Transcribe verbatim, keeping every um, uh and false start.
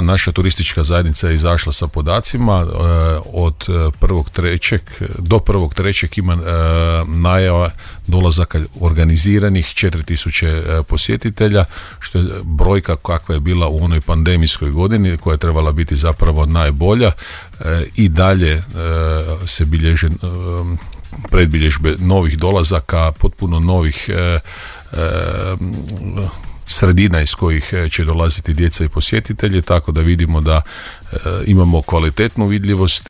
naša turistička zajednica je izašla sa podacima. Od prvog trećeg do prvog trećeg ima najava dolazaka organiziranih četiri tisuće posjetitelja, što je brojka kakva je bila u onoj pandemijskoj godini, koja je trebala biti zapravo najbolja. I dalje se bilježe predbilježbe novih dolazaka, potpuno novih e, e, sredina iz kojih će dolaziti djeca i posjetitelji, tako da vidimo da e, imamo kvalitetnu vidljivost